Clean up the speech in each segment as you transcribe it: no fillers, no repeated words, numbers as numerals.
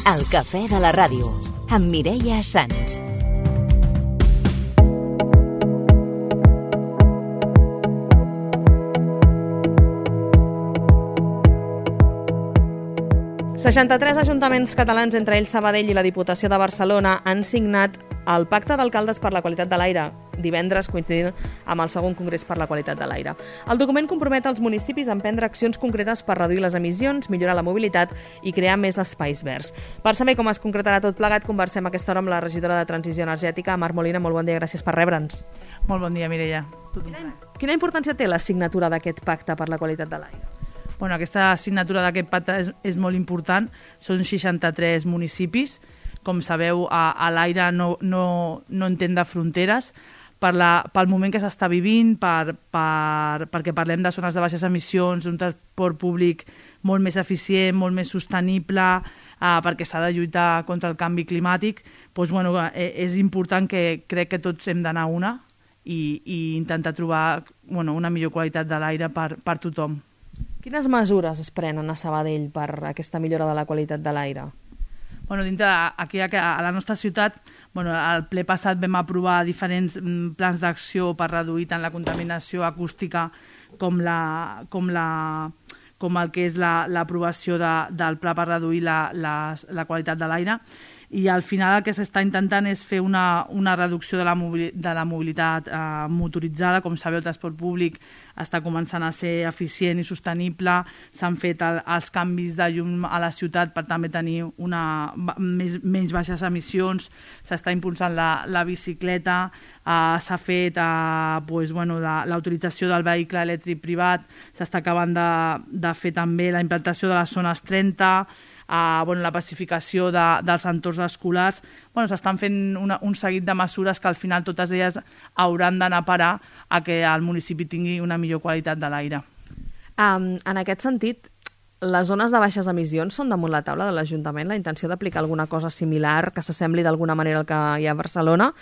El cafè de la ràdio, amb Mireia Sans. «63 ajuntaments catalans, entre ells Sabadell i la Diputació de Barcelona, han signat el Pacte d'Alcaldes per la Qualitat de l'Aire, divendres coincidint amb el segon Congrés per la Qualitat de l'Aire. El document compromet els municipis a emprendre accions concretes per reduir les emissions, millorar la mobilitat i crear més espais verds. Per saber com es concretarà tot plegat, conversem a aquesta hora amb la regidora de Transició Energètica, Mar Molina. Molt bon dia, gràcies per rebre'ns. Molt bon dia, Mireia. Quina importància té la signatura d'aquest Pacte per la Qualitat de l'Aire? Bueno, aquesta signatura d'aquest pacte és molt important. Són 63 municipis. Com sabeu, a l'aire no entén de fronteres. Pel moment que s'està vivint, perquè parlem de zones de baixes emissions, d'un transport públic molt més eficient, molt més sostenible, perquè s'ha de lluitar contra el canvi climàtic, doncs, bueno, és important que crec que tots hem d'anar a una i intentar trobar una millor qualitat de l'aire per tothom. Quines mesures es prenen a Sabadell per aquesta millora de la qualitat de l'aire? Aquí a la nostra ciutat, al ple passat vam aprovar diferents plans d'acció per reduir tant la contaminació acústica com el que és l'aprovació del pla per reduir la qualitat de l'aire. I al final el que s'està intentant és fer una reducció de la mobilitat motoritzada. Com sabeu, el transport públic està començant a ser eficient i sostenible. S'han fet els canvis de llum a la ciutat per també tenir menys baixes emissions. S'està impulsant la bicicleta. S'ha fet l'autorització del vehicle elèctric privat. S'està acabant de fer també la implantació de les zones 30, la pacificació dels entorns escolars. S'estan fent un seguit de mesures que al final totes elles hauran d'anar a parar a que el municipi tingui una millor qualitat de l'aire. En aquest sentit, les zones de baixes emissions són damunt la taula de l'Ajuntament? La intenció d'aplicar alguna cosa similar que s'assembli d'alguna manera al que hi ha a Barcelona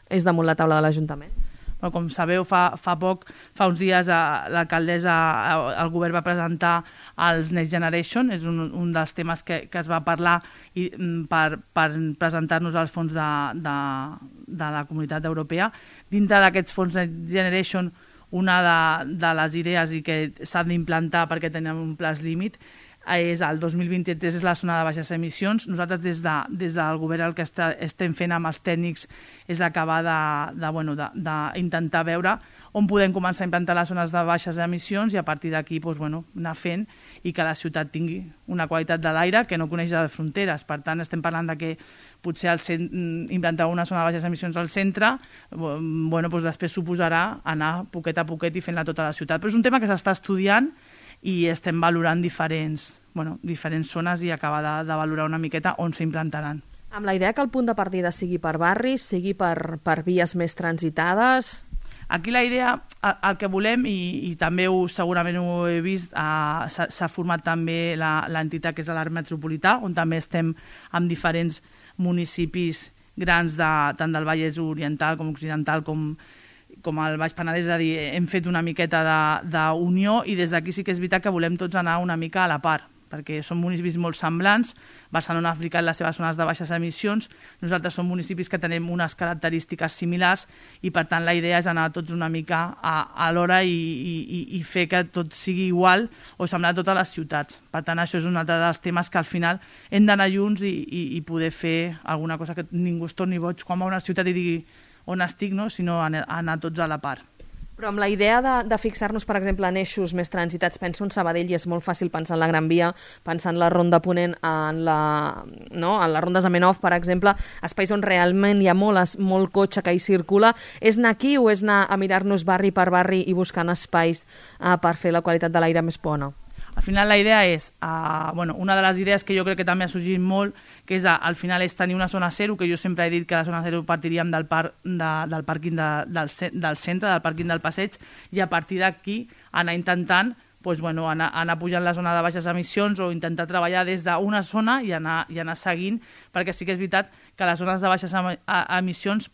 és damunt la taula de l'Ajuntament? Com sabeu, fa uns dies l'alcaldessa, el govern va presentar els Next Generation, és un dels temes que es va parlar per presentar-nos als fons de la Comunitat Europea. Dintre d'aquests fons Next Generation, una de les idees i que s'ha d'implantar perquè tenim un plaç límit és el 2023, és la zona de baixes emissions. Nosaltres des del govern el que estem fent amb els tècnics és acabar d'intentar veure on podem començar a implantar les zones de baixes emissions i a partir d'aquí anar fent i que la ciutat tingui una qualitat de l'aire que no coneix de fronteres. Per tant, estem parlant de que potser implantar una zona de baixes emissions al centre, després suposarà anar poquet a poquet i fent-la tota la ciutat. Però és un tema que s'està estudiant i estem valorant diferents zones i acabar de valorar una miqueta on s'implantaran. Amb la idea que el punt de partida sigui per barris, sigui per vies més transitades? Aquí la idea, el que volem, i també segurament ho he vist, s'ha format també l'entitat que és l'Arc Metropolità, on també estem amb diferents municipis grans tant del Vallès Oriental com Occidental com el Baix Penedès, és a dir, hem fet una miqueta d'unió i des d'aquí sí que és veritat que volem tots anar una mica a la part, perquè són municipis molt semblants. Barcelona ha aplicat les seves zones de baixes emissions, nosaltres som municipis que tenim unes característiques similars i per tant la idea és anar tots una mica a l'hora i fer que tot sigui igual o semblar a totes les ciutats. Per tant, això és un altre dels temes que al final hem d'anar junts i poder fer alguna cosa que ningú es torni boig quan va a una ciutat i digui on estic, sinó anar tots a la part. Però amb la idea de fixar-nos, per exemple, en eixos més transitats, penso en Sabadell i és molt fàcil pensar en la Gran Via, pensar en la Ronda Ponent, en les rondes Zamenhof, per exemple, espais on realment hi ha molt cotxe que hi circula. És anar aquí o és anar a mirar-nos barri per barri i buscant espais per fer la qualitat de l'aire més bona? Al final la idea és, una de les idees que jo crec que també ha sorgit molt, que és al final és tenir una zona zero, que jo sempre he dit que la zona zero partiríem del pàrquing del centre, del pàrquing del passeig, i a partir d'aquí anar intentant anar pujant la zona de baixes emissions o intentar treballar des d'una zona i anar seguint, perquè sí que és veritat que les zones de baixes emissions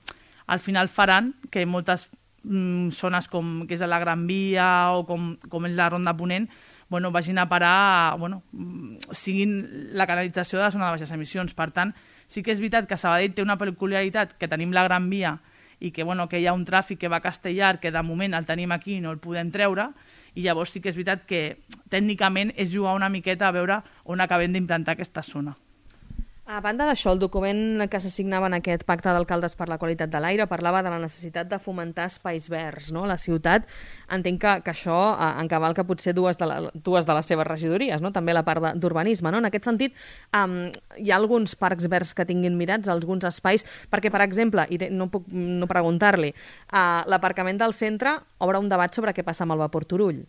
al final faran que moltes zones com que és la Gran Via o com és la Ronda Ponent vagin a parar, siguin la canalització de la zona de baixes emissions. Per tant, sí que és veritat que Sabadell té una peculiaritat, que tenim la Gran Via i que hi ha un tràfic que va a Castellar, que de moment el tenim aquí i no el podem treure, i llavors sí que és veritat que tècnicament és jugar una miqueta a veure on acabem d'implantar aquesta zona. A banda d'això, el document que se signava en aquest pacte d'alcaldes per la qualitat de l'aire parlava de la necessitat de fomentar espais verds, no? La ciutat, entenc que això encavalca potser dues de les seves regidories, no? També la part d'urbanisme, no? En aquest sentit, hi ha alguns parcs verds que tinguin mirats, alguns espais, perquè, per exemple, i no puc no preguntar-li, l'aparcament del centre obre un debat sobre què passa amb el vapor Turull.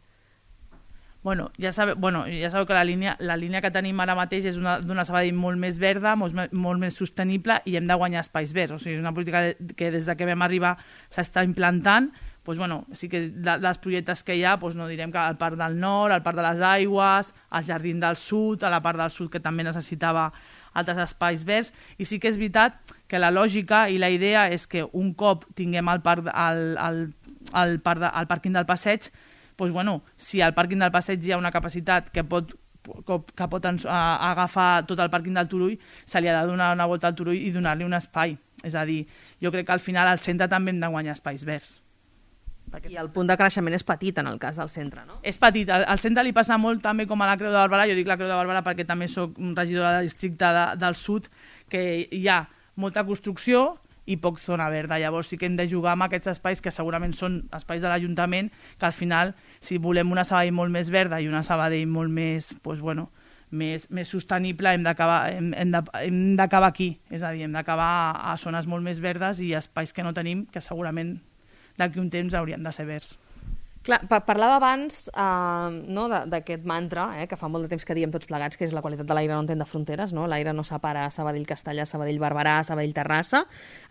Ja sabeu que la línia que tenim ara mateix és d'una Sabadell molt més verda, molt més sostenible, i hem de guanyar espais verds. O sigui, és una política que des que vam arribar s'està implantant. Sí que dels projectes que hi ha, no direm que al Parc del Nord, al Parc de les Aigües, al Jardí del Sud, a la part del Sud que també necessitava altres espais verds, i sí que és veritat que la lògica i la idea és que un cop tinguem el pàrquing del Passeig, si al pàrquing del Passeig hi ha una capacitat que pot agafar tot el pàrquing del Turull, se li ha de donar una volta al Turull i donar-li un espai. És a dir, jo crec que al final al centre també hem de guanyar espais verds. I el punt de creixement és petit en el cas del centre, no? És petit. Al centre li passa molt també com a la Creu de Barberà. Jo dic la Creu de Barberà perquè també soc regidora del districte del Sud, que hi ha molta construcció i poc zona verda. Llavors sí que hem de jugar amb aquests espais que segurament són espais de l'Ajuntament, que al final, si volem una Sabadell molt més verda i una Sabadell molt més, més sostenible, hem d'acabar aquí. És a dir, hem d'acabar a zones molt més verdes i espais que no tenim, que segurament d'aquí un temps haurien de ser verds. Clar, parlava abans d'aquest mantra, que fa molt de temps que diem tots plegats, que és la qualitat de l'aire no entén de fronteres, no? L'aire no separa Sabadell-Castellar, Sabadell-Barberà, Sabadell-Terrassa.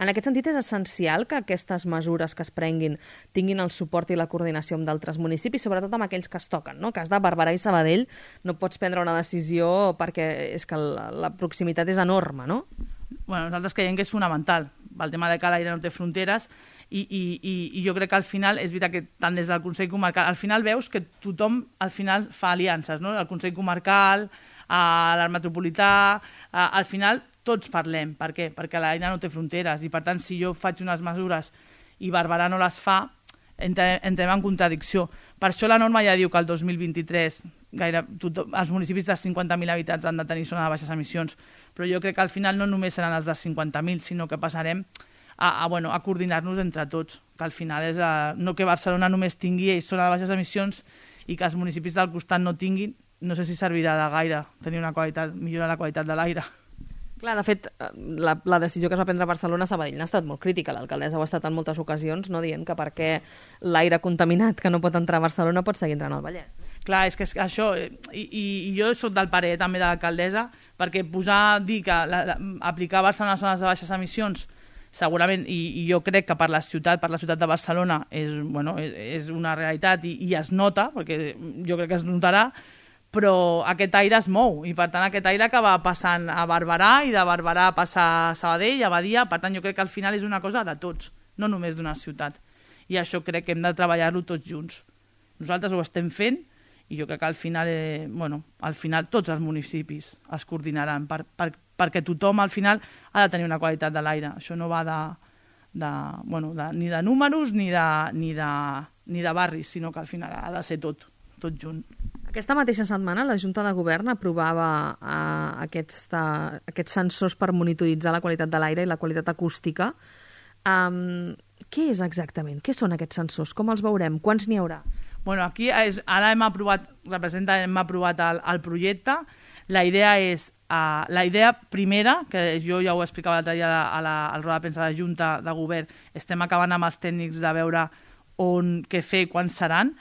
En aquest sentit és essencial que aquestes mesures que es prenguin tinguin el suport i la coordinació amb d'altres municipis, sobretot amb aquells que es toquen, no? En cas de Barberà i Sabadell no pots prendre una decisió perquè és que la proximitat és enorme, no? Nosaltres creiem que és fonamental el tema de que l'aire no té fronteres. I jo crec que al final, és veritat que tant des del Consell Comarcal, al final veus que tothom al final fa aliances, no? El Consell Comarcal, l'Art Metropolità, al final tots parlem. Per què? Perquè l'aire no té fronteres i per tant si jo faig unes mesures i Barberà no les fa, entrem en contradicció. Per això la norma ja diu que el 2023 els municipis de 50.000 habitants han de tenir zona de baixes emissions, però jo crec que al final no només seran els de 50.000, sinó que passarem a coordinar-nos entre tots, que al final és no que Barcelona només tingui zona de baixes emissions i que els municipis del costat no tinguin, no sé si servirà de gaire tenir millorar la qualitat de l'aire. Clar, de fet, la decisió que es va prendre a Barcelona, Sabadell n'ha estat molt crítica. L'alcaldessa ho ha estat en moltes ocasions, no dient que perquè l'aire contaminat que no pot entrar a Barcelona pot seguir entrant al Vallès. Clar, és que això, i jo soc del parer també de l'alcaldessa, perquè dir que aplicar a Barcelona zones de baixes emissions segurament, i jo crec que per la ciutat de Barcelona és una realitat i es nota, perquè jo crec que es notarà, però aquest aire es mou, i per tant aquest aire acaba passant a Barberà, i de Barberà passa a Sabadell, a Badia, per tant jo crec que al final és una cosa de tots, no només d'una ciutat. I això crec que hem de treballar-lo tots junts. Nosaltres ho estem fent, i jo crec que al final tots els municipis es coordinaran perquè tothom al final ha de tenir una qualitat de l'aire. Això no va ni de números ni de barris, sinó que al final ha de ser tot junt. Aquesta mateixa setmana la Junta de Govern aprovava aquests sensors per monitoritzar la qualitat de l'aire i la qualitat acústica. Què és exactament? Què són aquests sensors? Com els veurem? Quants n'hi haurà? Aquí ara hem aprovat el projecte. La idea primera, que jo ja ho explicava l'altre dia a la roda de premsa de la Junta de Govern, estem acabant amb els tècnics de veure què fer i quan seran.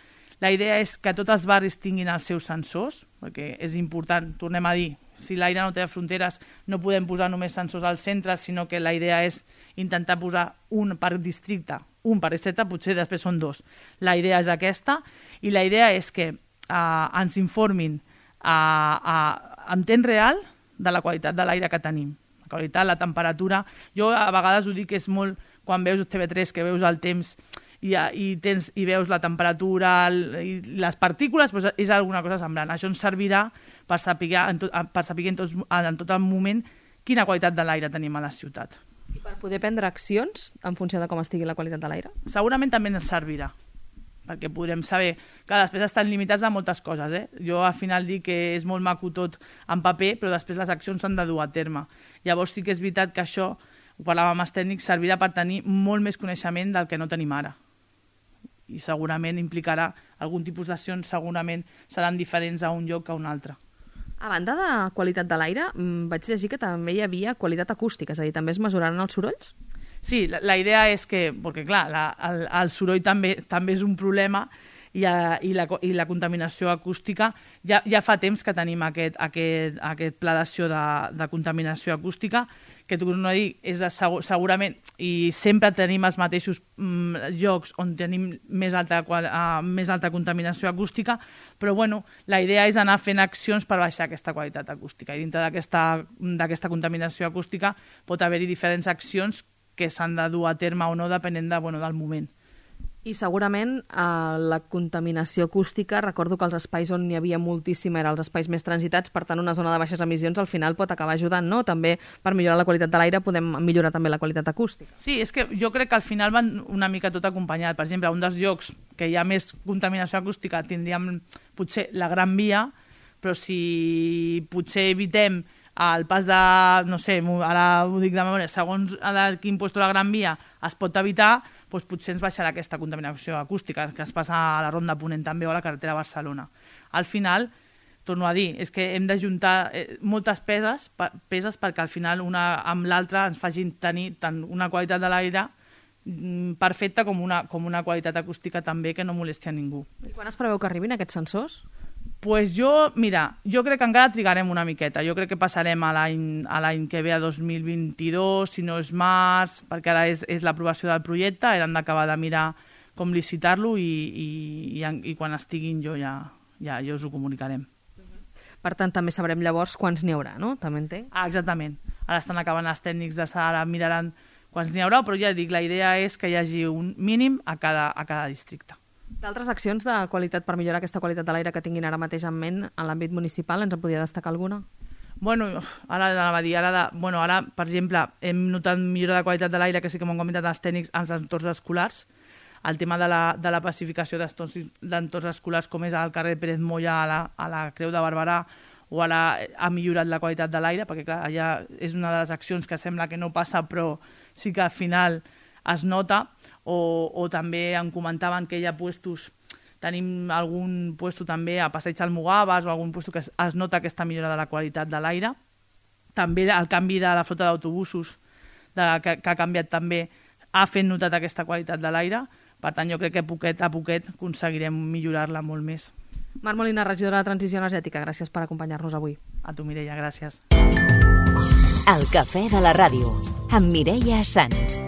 La idea és que tots els barris tinguin els seus sensors, perquè és important, tornem a dir, si l'aire no té fronteres no podem posar només sensors al centre, sinó que la idea és intentar posar un per districte, un per districte, potser després són dos. La idea és aquesta, i la idea és que ens informin en temps real de la qualitat de l'aire que tenim. La qualitat, la temperatura. Jo a vegades ho dic que és molt, quan veus TV3, que veus el temps i veus la temperatura i les partícules, doncs és alguna cosa semblant. Això ens servirà per saber en tot el moment quina qualitat de l'aire tenim a la ciutat. I per poder prendre accions en funció de com estigui la qualitat de l'aire? Segurament també ens servirà, perquè podrem saber que després estan limitats a moltes coses. Jo al final dic que és molt maco tot en paper, però després les accions s'han de dur a terme. Llavors sí que és veritat que això, ho parlàvem amb els tècnics, servirà per tenir molt més coneixement del que no tenim ara. I segurament implicarà algun tipus d'accions, segurament seran diferents a un lloc que a un altre. A banda de qualitat de l'aire, vaig llegir que també hi havia qualitat acústica, és a dir, també es mesuraran els sorolls? Sí, la idea és que, perquè clar, el soroll també és un problema i la contaminació acústica, ja fa temps que tenim aquest pla d'acció de contaminació acústica, que torno a dir, és segurament, i sempre tenim els mateixos llocs on tenim més alta contaminació acústica, però bueno, la idea és anar fent accions per baixar aquesta qualitat acústica. I dintre d'aquesta contaminació acústica pot haver-hi diferents accions que s'han de dur a terme o no, depenent del moment. I segurament la contaminació acústica, recordo que els espais on n'hi havia moltíssima eren els espais més transitats, per tant una zona de baixes emissions al final pot acabar ajudant, no? També per millorar la qualitat de l'aire podem millorar també la qualitat acústica. Sí, és que jo crec que al final van una mica tot acompanyat. Per exemple, un dels llocs que hi ha més contaminació acústica tindríem potser la Gran Via, però si potser evitem el pas de, no sé, ara ho dic de memòria, segons a quin lloc de la Gran Via es pot evitar, doncs potser ens baixarà aquesta contaminació acústica que es passa a la Ronda Ponent també o a la carretera a Barcelona. Al final, torno a dir, és que hem d'ajuntar moltes peces perquè al final una amb l'altra ens facin tenir tant una qualitat de l'aire perfecta com una qualitat acústica també que no molesti a ningú. I quan es preveu que arribin aquests sensors? Pues jo crec que encara trigarem una miqueta. Jo crec que passarem a l'any que ve, a 2022, si no és març, perquè ara és l'aprovació del projecte, hem d'acabar de mirar com licitar-lo i quan estiguin ja us ho comunicarem. Per tant, també sabrem llavors quants n'hi haurà, no? També entenc? Exactament. Ara estan acabant els tècnics de sala, miraran quants n'hi haurà, però ja dic, la idea és que hi hagi un mínim a cada districte. D'altres accions de qualitat per millorar aquesta qualitat de l'aire que tinguin ara mateix en ment en l'àmbit municipal, ens en podria destacar alguna? Bueno, ara, per exemple, hem notat millora de qualitat de l'aire, que sí que m'ho han comentat els tècnics, als entorns escolars. El tema de la pacificació d'entorns escolars, com és al carrer Pérez Moya, a la Creu de Barberà, o ara ha millorat la qualitat de l'aire, perquè clar, allà és una de les accions que sembla que no passa, però sí que al final es nota. O també em comentaven que hi ha puestos, tenim algun puesto també a Passeig Almogàvers o algun puesto que es nota aquesta millora de la qualitat de l'aire. També el canvi de la flota d'autobusos que ha canviat també ha fet notat aquesta qualitat de l'aire. Per tant, jo crec que poquet a poquet aconseguirem millorar-la molt més. Mar Molina, regidora de Transició Energètica, gràcies per acompanyar-nos avui. A tu, Mireia, gràcies. El cafè de la ràdio, amb Mireia Sans.